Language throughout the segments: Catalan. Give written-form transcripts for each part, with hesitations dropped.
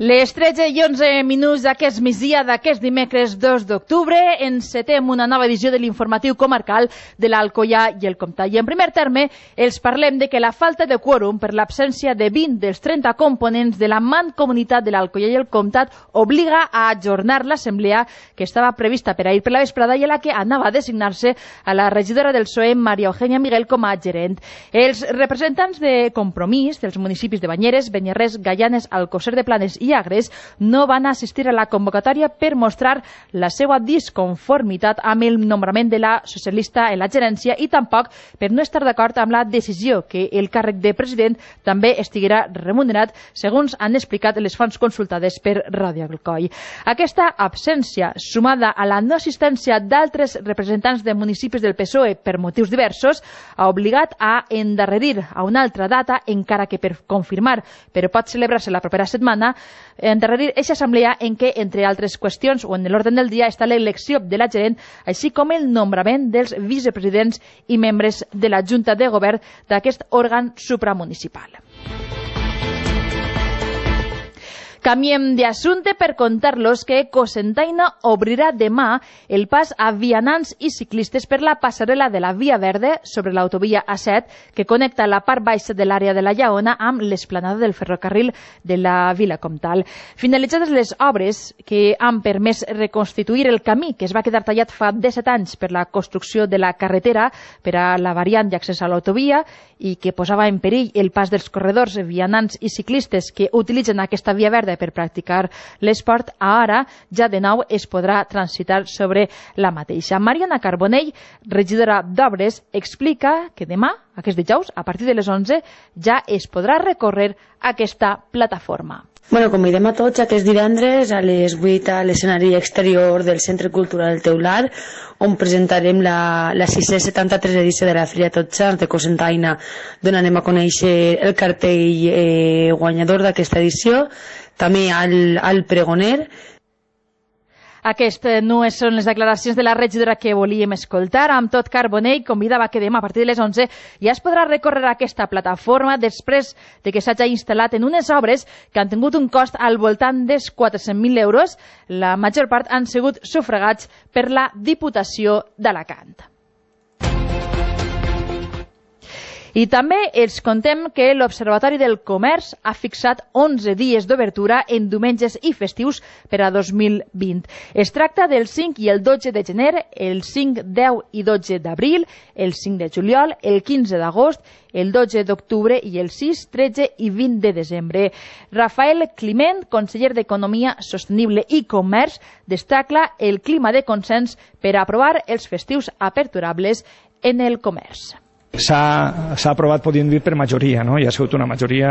Les 13 i 11 minuts d'aquest migdia d'aquest dimecres 2 d'octubre encetem una nova edició de l'informatiu comarcal de l'Alcoià i el Comtat. I en primer terme els parlem de que la falta de quòrum per l'absència de 20 dels 30 components de la Mancomunitat de l'Alcoià i el Comtat obliga a ajornar l'assemblea que estava prevista per ahir per la vesprada i a la que anava a designar-se a la regidora del PSOE, Maria Eugènia Miguel, com a gerent. Els representants de Compromís dels municipis de Banyeres, Beniarrés, Gaianes, Alcosser de Planes i Agres no van assistir a la convocatòria per mostrar la seva disconformitat amb el nombrament de la socialista en la gerència i tampoc per no estar d'acord amb la decisió que el càrrec de president també estiguera remunerat, segons han explicat les fonts consultades per Ràdio Alcoi. Aquesta absència, sumada a la no assistència d'altres representants de municipis del PSOE per motius diversos, ha obligat a endarrerir a una altra data, encara que per confirmar, però pot celebrar-se la propera setmana, endarrerir aquesta assemblea en què, entre altres qüestions o en l'ordre del dia, està l'elecció de la gerent, així com el nombrament dels vicepresidents i membres de la Junta de Govern d'aquest òrgan supramunicipal. Canviem d'assumpte per contar-los que Cocentaina obrirà demà el pas a vianants i ciclistes per la passarel·la de la Via Verda sobre l'autovia A7 que connecta la part baixa de l'àrea de la Lleona amb l'esplanada del ferrocarril de la Vila Comtal. Finalitzades les obres que han permès reconstituir el camí que es va quedar tallat fa 17 anys per la construcció de la carretera per a la variant d'accés a l'autovia i que posava en perill el pas dels corredors, vianants i ciclistes que utilitzen aquesta Via Verda per practicar l'esport, ara ja de nou es podrà transitar sobre la mateixa. Mariana Carbonell, regidora d'Obres, explica que demà, aquest dijous, a partir de les 11, ja es podrà recórrer aquesta plataforma. Bueno, convidem a tots aquest divendres a les 8 a l'escenari exterior del Centre Cultural Teular, on presentarem la 673 edició de la Fira Tots Sants de Cocentaina, d'on anem a conèixer el cartell guanyador d'aquesta edició, també al pregoner. Aquestes no són les declaracions de la regidora que volíem escoltar. Amb tot, Carbonell convidava que demà a partir de les 11 ja es podrà recórrer aquesta plataforma després de que s'hagi instal·lat en unes obres que han tingut un cost al voltant dels 400.000 euros. La major part han sigut sufragats per la Diputació d'Alacant. I també els contem que l'Observatori del Comerç ha fixat 11 dies d'obertura en diumenges i festius per a 2020. Es tracta del 5 i el 12 de gener, el 5, 10 i 12 d'abril, el 5 de juliol, el 15 d'agost, el 12 d'octubre i el 6, 13 i 20 de desembre. Rafael Climent, conseller d'Economia Sostenible i Comerç, destaca el clima de consens per a aprovar els festius aperturables en el comerç. S'ha aprovat, podríem dir, per majoria, no? I ha sigut una majoria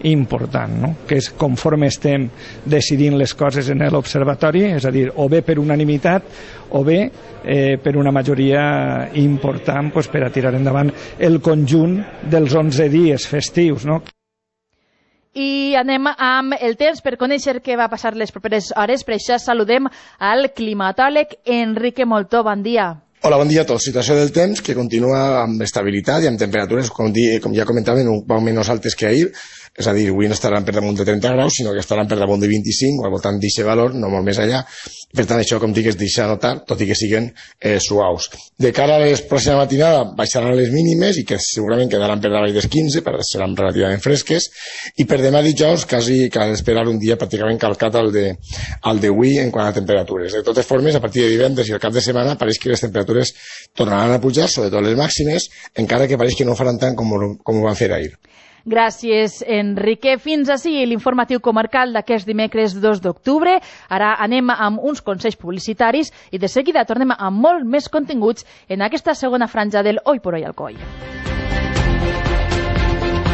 important, no? Que és conforme estem decidint les coses en l'observatori, és a dir, o bé per unanimitat o bé per una majoria important per a tirar endavant el conjunt dels 11 dies festius, no? I anem amb el temps per conèixer què va passar les properes hores. Per això saludem al climatòleg Enrique Moltó. Bon dia. Hola, bon dia a tots. Situació del temps que continua amb estabilitat i amb temperatures, com ja comentàvem, un poc menys altes que ahir. És a dir, avui no estaran per damunt de 30 graus, sinó que estaran per damunt de 25 o al voltant d'aquest valor, no molt més allà. Per tant, això, com dic, es deixa notar, tot i que siguen suaus. De cara a les pròximes matinada baixaran les mínimes i que segurament quedaran per davall dels 15, però seran relativament fresques. I per demà dijous quasi cal esperar un dia pràcticament calcat al d'avui en quant a temperatures. De totes formes, a partir de divendres i el cap de setmana pareix que les temperatures tornaran a pujar, sobretot les màximes, encara que pareix que no faran tant com ho van fer ahir. Gràcies, Enrique. Fins ací l'informatiu comarcal d'aquest dimecres 2 d'octubre. Ara anem amb uns consells publicitaris i de seguida tornem amb molt més continguts en aquesta segona franja del Hoy por Hoy Alcoi.